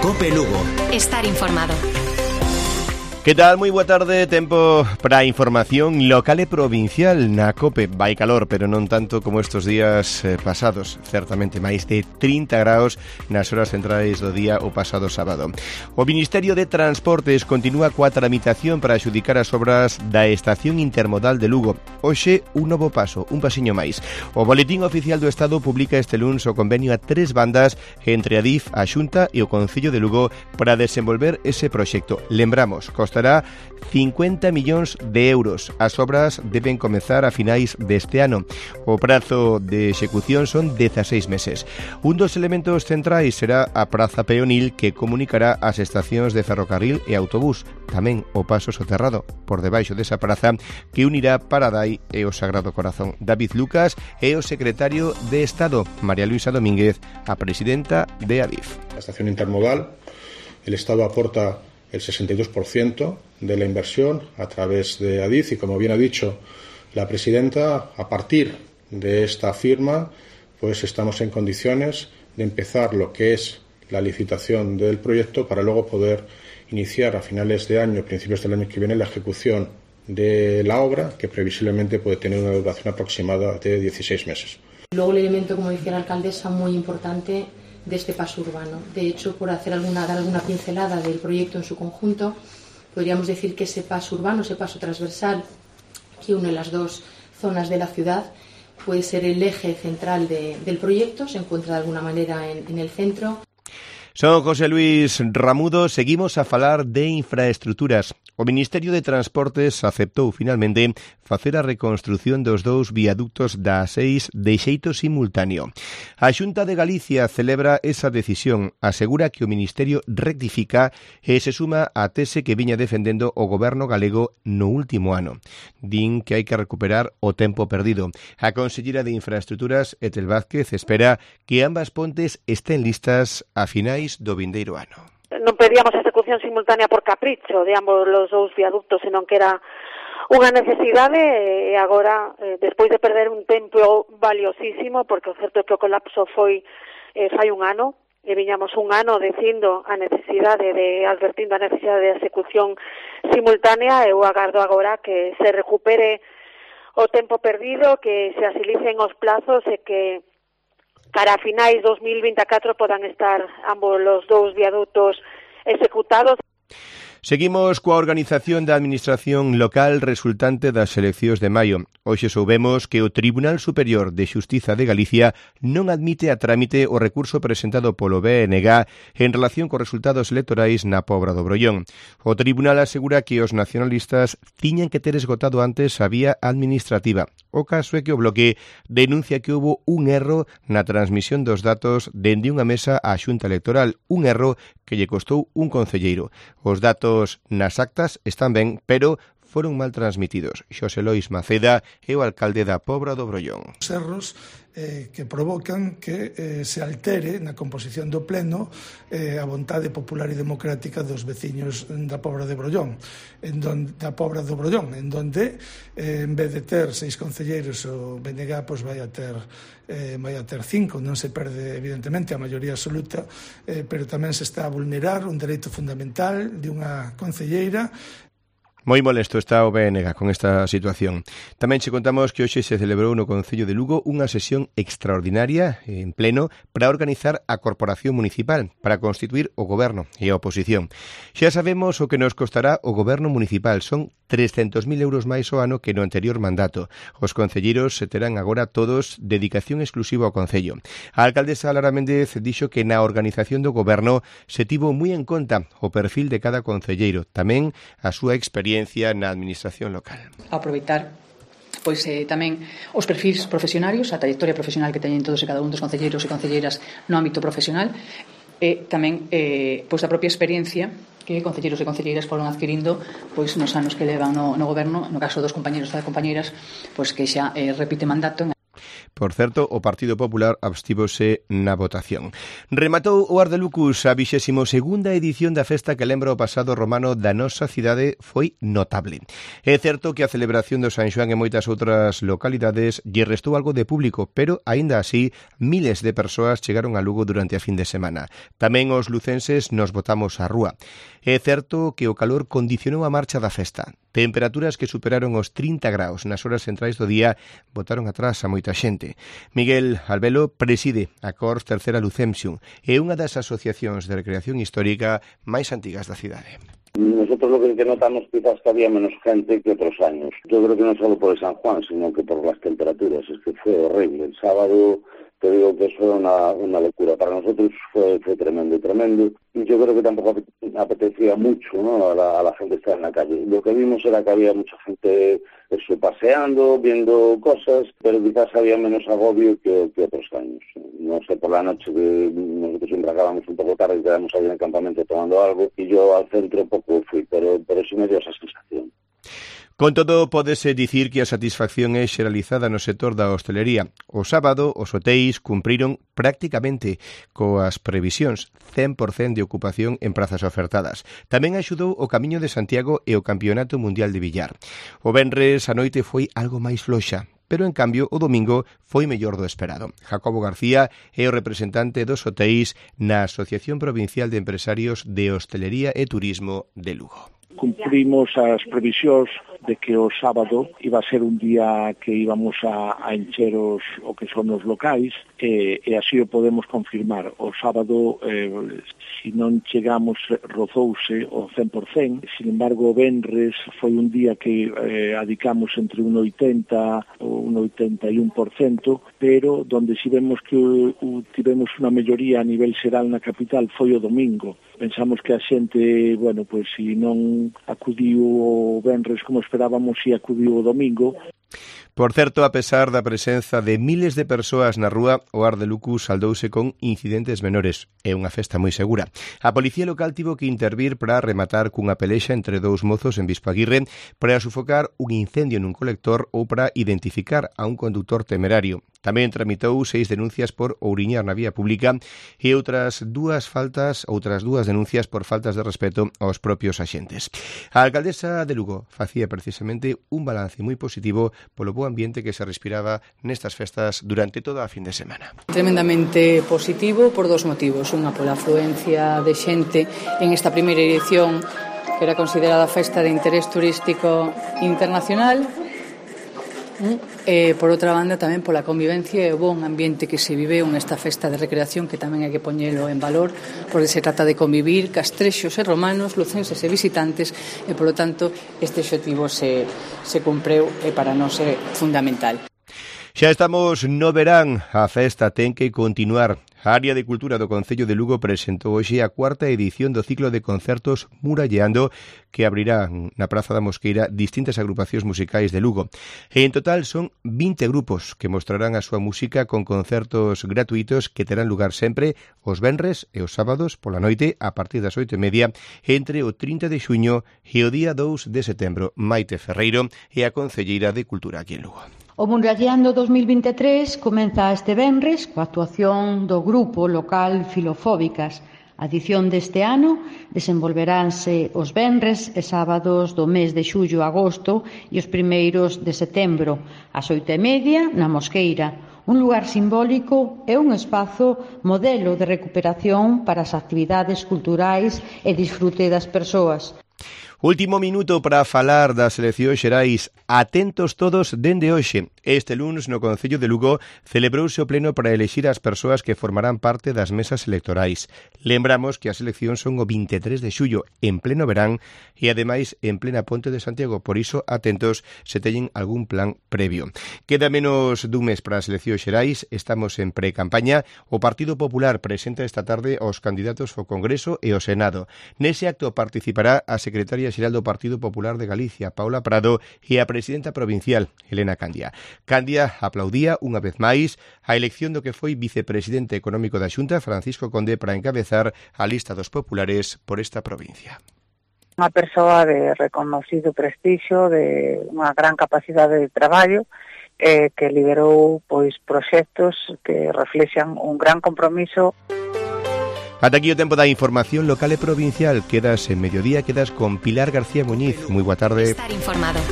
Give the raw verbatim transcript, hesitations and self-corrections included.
COPE Lugo. Estar informado. Que tal? Moi boa tarde, tempo para a información local e provincial na COPE. Vai calor, pero non tanto como estes días eh, pasados. Certamente máis de trinta graus nas horas centrais do día o pasado sábado. O Ministerio de Transportes continúa coa tramitación para adxudicar as obras da Estación Intermodal de Lugo. Hoxe, un novo paso, un pasiño máis. O Boletín Oficial do Estado publica este luns o convenio a tres bandas entre a D I F, a Xunta e o Concello de Lugo para desenvolver ese proxecto. Lembramos, costará cincuenta millóns de euros. As obras deben comezar a finais deste ano. O prazo de execución son dezasseis meses. Un dos elementos centrais será a praza peonil que comunicará as estacións de ferrocarril e autobús. Tamén o paso soterrado por debaixo desa praza que unirá Paradai e o Sagrado Corazón. David Lucas é o secretario de Estado. María Luisa Domínguez, a presidenta de A D I F. La estación intermodal, el Estado aporta el sesenta y dos por ciento de la inversión a través de A D I F y, como bien ha dicho la presidenta, a partir de esta firma pues estamos en condiciones de empezar lo que es la licitación del proyecto para luego poder iniciar a finales de año, principios del año que viene, la ejecución de la obra, que previsiblemente puede tener una duración aproximada de dieciséis meses. Luego el elemento, como decía la alcaldesa, muy importante de este paso urbano. De hecho, por hacer alguna, dar alguna pincelada del proyecto en su conjunto, podríamos decir que ese paso urbano, ese paso transversal que une las dos zonas de la ciudad, puede ser el eje central de, del proyecto, se encuentra de alguna manera en, en el centro. Son José Luis Ramudo, seguimos a falar de infraestructuras. O Ministerio de Transportes aceptou finalmente facer a reconstrución dos dous viaductos da A seis de xeito simultáneo. A Xunta de Galicia celebra esa decisión, asegura que o Ministerio rectifica e se suma á tese que viña defendendo o goberno galego no último ano. Din que hai que recuperar o tempo perdido. A consellera de Infraestructuras, Etel Vázquez, espera que ambas pontes estén listas a finais do vindeiro ano. Non pedíamos a execución simultánea por capricho de ambos os dous viaductos, senón que era unha necesidade e agora, eh, despois de perder un tempo valiosísimo, porque o certo é que o colapso foi eh, fai un ano, e viñamos un ano dicindo a necesidade de, advertindo a necesidade de execución simultánea, eu agardo agora que se recupere o tempo perdido, que se asilicen os plazos e que cara a finais dos mil vinte e catro podan estar ambos os dous viadutos executados. Seguimos coa organización da Administración local resultante das eleccións de maio. Hoxe soubemos que o Tribunal Superior de Xustiza de Galicia non admite a trámite o recurso presentado polo B N G en relación cos resultados electorais na Pobra do Brollón. O Tribunal asegura que os nacionalistas tiñan que ter esgotado antes a vía administrativa. O caso é que o Bloque denuncia que houbo un erro na transmisión dos datos dende unha mesa á Xunta Electoral, un erro que lle costou un concelleiro. Os datos nas actas están ben, pero foron mal transmitidos. Xosé Lois Maceda é o alcalde da Pobra do Brollón. Os erros eh, que provocan que eh, se altere na composición do pleno eh, a vontade popular e democrática dos veciños da Pobra de Brollón, en donde, da Pobra do Brollón, en donde eh, en vez de ter seis concelleiros o B N G pois vai a ter eh, vai a ter cinco, non se perde evidentemente a maioría absoluta, eh, pero tamén se está a vulnerar un dereito fundamental de unha concelleira. Moi molesto está o B N G con esta situación. Tamén che contamos que hoxe se celebrou no Concello de Lugo unha sesión extraordinaria en pleno para organizar a Corporación Municipal, para constituir o Goberno e a oposición. Xa sabemos o que nos costará o Goberno Municipal. Son trescentos mil euros máis ao ano que no anterior mandato. Os concelleiros se terán agora todos dedicación exclusiva ao Concello. A alcaldesa Lara Méndez dixo que na organización do Goberno se tivo moi en conta o perfil de cada concelleiro, tamén a súa experiencia na administración local. Aproveitar pois eh, tamén os perfis profesionarios, a trayectoria profesional que teñen todos e cada un dos concelleiros e concelleiras no ámbito profesional e tamén eh, pois a propia experiencia que concelleiros e concelleiras foron adquirindo pois nos anos que levan no, no goberno, no caso dos compañeros e compañeiras, pois que xa eh, repite mandato. Por certo, o Partido Popular abstívose na votación. Rematou o Ardelucus a vixésimo segunda edición da festa que lembra o pasado romano da nosa cidade foi notable. É certo que a celebración do San Xoán e moitas outras localidades lle restou algo de público, pero, aínda así, miles de persoas chegaron a Lugo durante a fin de semana. Tamén os lucenses nos botamos á rúa. É certo que o calor condicionou a marcha da festa. Temperaturas que superaron os trinta graus nas horas centrais do día botaron atrás a moita xente. Miguel Albelo preside a Cors Tercera Lucemsium e unha das asociacións de recreación histórica máis antigas da cidade. Nosotros lo que notamos quizás que había menos gente que otros años. Yo creo que no solo por el San Juan, sino que por las temperaturas. Es que fue horrible. El sábado, te digo que eso era una, una locura. Para nosotros fue, fue tremendo, tremendo. Y yo creo que tampoco apetecía mucho, ¿no?, a la, a la gente estar en la calle. Lo que vimos era que había mucha gente eso, paseando, viendo cosas, pero quizás había menos agobio que, que otros años. No sé, por la noche que nosotros siempre acabamos un poco tarde y quedamos ahí en el campamento tomando algo, y yo al centro poco fui, pero, pero sí me dio esa sensación. Con todo, pódese dicir que a satisfacción é xeralizada no sector da hostelería. O sábado, os hotéis cumpriron prácticamente coas previsións, cen por cento de ocupación en prazas ofertadas. Tamén axudou o Camiño de Santiago e o Campeonato Mundial de Billar. O venres a noite foi algo máis floxa, pero en cambio o domingo foi mellor do esperado. Jacobo García é o representante dos hotéis na Asociación Provincial de Empresarios de Hostelería e Turismo de Lugo. Cumprimos as previsións de que o sábado iba a ser un día que íbamos a, a encher os, o que son os locais e, e así o podemos confirmar. O sábado, eh, si non chegamos, rozouse o cen por cento, sin embargo o venres foi un día que eh, adicamos entre un oitenta ou un oitenta e un por cento, pero donde si vemos que uh, tivemos unha melloría a nivel xeral na capital foi o domingo. Pensamos que a xente, bueno, pois si non acudiu o venres como esperábamos, si acudiu o domingo. Por certo, a pesar da presenza de miles de persoas na rúa, o Ardelucus saldouse con incidentes menores. É unha festa moi segura. A policía local tivo que intervir para rematar cunha pelexa entre dous mozos en Bispo Aguirre para sufocar un incendio nun colector ou para identificar a un conductor temerario. Tamén tramitou seis denuncias por ouriñar na vía pública e outras dúas faltas, outras dúas denuncias por faltas de respeto aos propios axentes. A alcaldesa de Lugo facía precisamente un balance moi positivo polo bo ambiente que se respiraba nestas festas durante toda a fin de semana. Tremendamente positivo por dos motivos. Unha pola afluencia de xente en esta primeira edición que era considerada festa de interés turístico internacional. E, por outra banda, tamén pola convivencia e o bon ambiente que se viveu nesta festa de recreación, que tamén hai que poñelo en valor, porque se trata de convivir castrexos e romanos, lucenses e visitantes, e, polo tanto, este obxectivo se, se cumpreu e para nós é fundamental. Xa estamos no verán, a festa ten que continuar. A Área de Cultura do Concello de Lugo presentou hoxe a cuarta edición do ciclo de concertos Muralleando, que abrirá na Praza da Mosqueira distintas agrupacións musicais de Lugo. E en total son vinte grupos que mostrarán a súa música con concertos gratuitos que terán lugar sempre os venres e os sábados pola noite a partir das oito e media entre o trinta de xuño e o día dous de setembro. Maite Ferreiro é a concelleira de Cultura aquí en Lugo. O Muralleando dos mil vinte e tres comeza este venres coa actuación do grupo local Filofóbicas. A edición deste ano desenvolveránse os venres e sábados do mes de xullo a agosto e os primeiros de setembro, ás oito e media na Mosqueira, un lugar simbólico e un espazo modelo de recuperación para as actividades culturais e disfrute das persoas. Último minuto para falar das eleccións xerais. Atentos todos dende hoxe. Este lunes no Concello de Lugo celebrouse o pleno para elexir as persoas que formarán parte das mesas electorais. Lembramos que as eleccións son o vinte e tres de xullo, en pleno verán e ademais en plena Ponte de Santiago. Por iso, atentos se teñen algún plan previo. Queda menos dun mes para as eleccións xerais. Estamos en pre-campaña. O Partido Popular presenta esta tarde aos candidatos ao Congreso e ao Senado. Nese acto participará a secretaria xeral do Partido Popular de Galicia, Paula Prado, e a presidenta provincial, Elena Candia. Candia aplaudía unha vez máis a elección do que foi vicepresidente económico da Xunta, Francisco Conde, para encabezar a lista dos populares por esta provincia. Unha persoa de reconocido prestixio, de unha gran capacidade de traballo e que liderou pois proxectos que reflexan un gran compromiso. Ata aquí o tempo da información local e provincial. Quedas en Mediodía, quedas con Pilar García Muñiz. Moi boa tarde. Estar informado.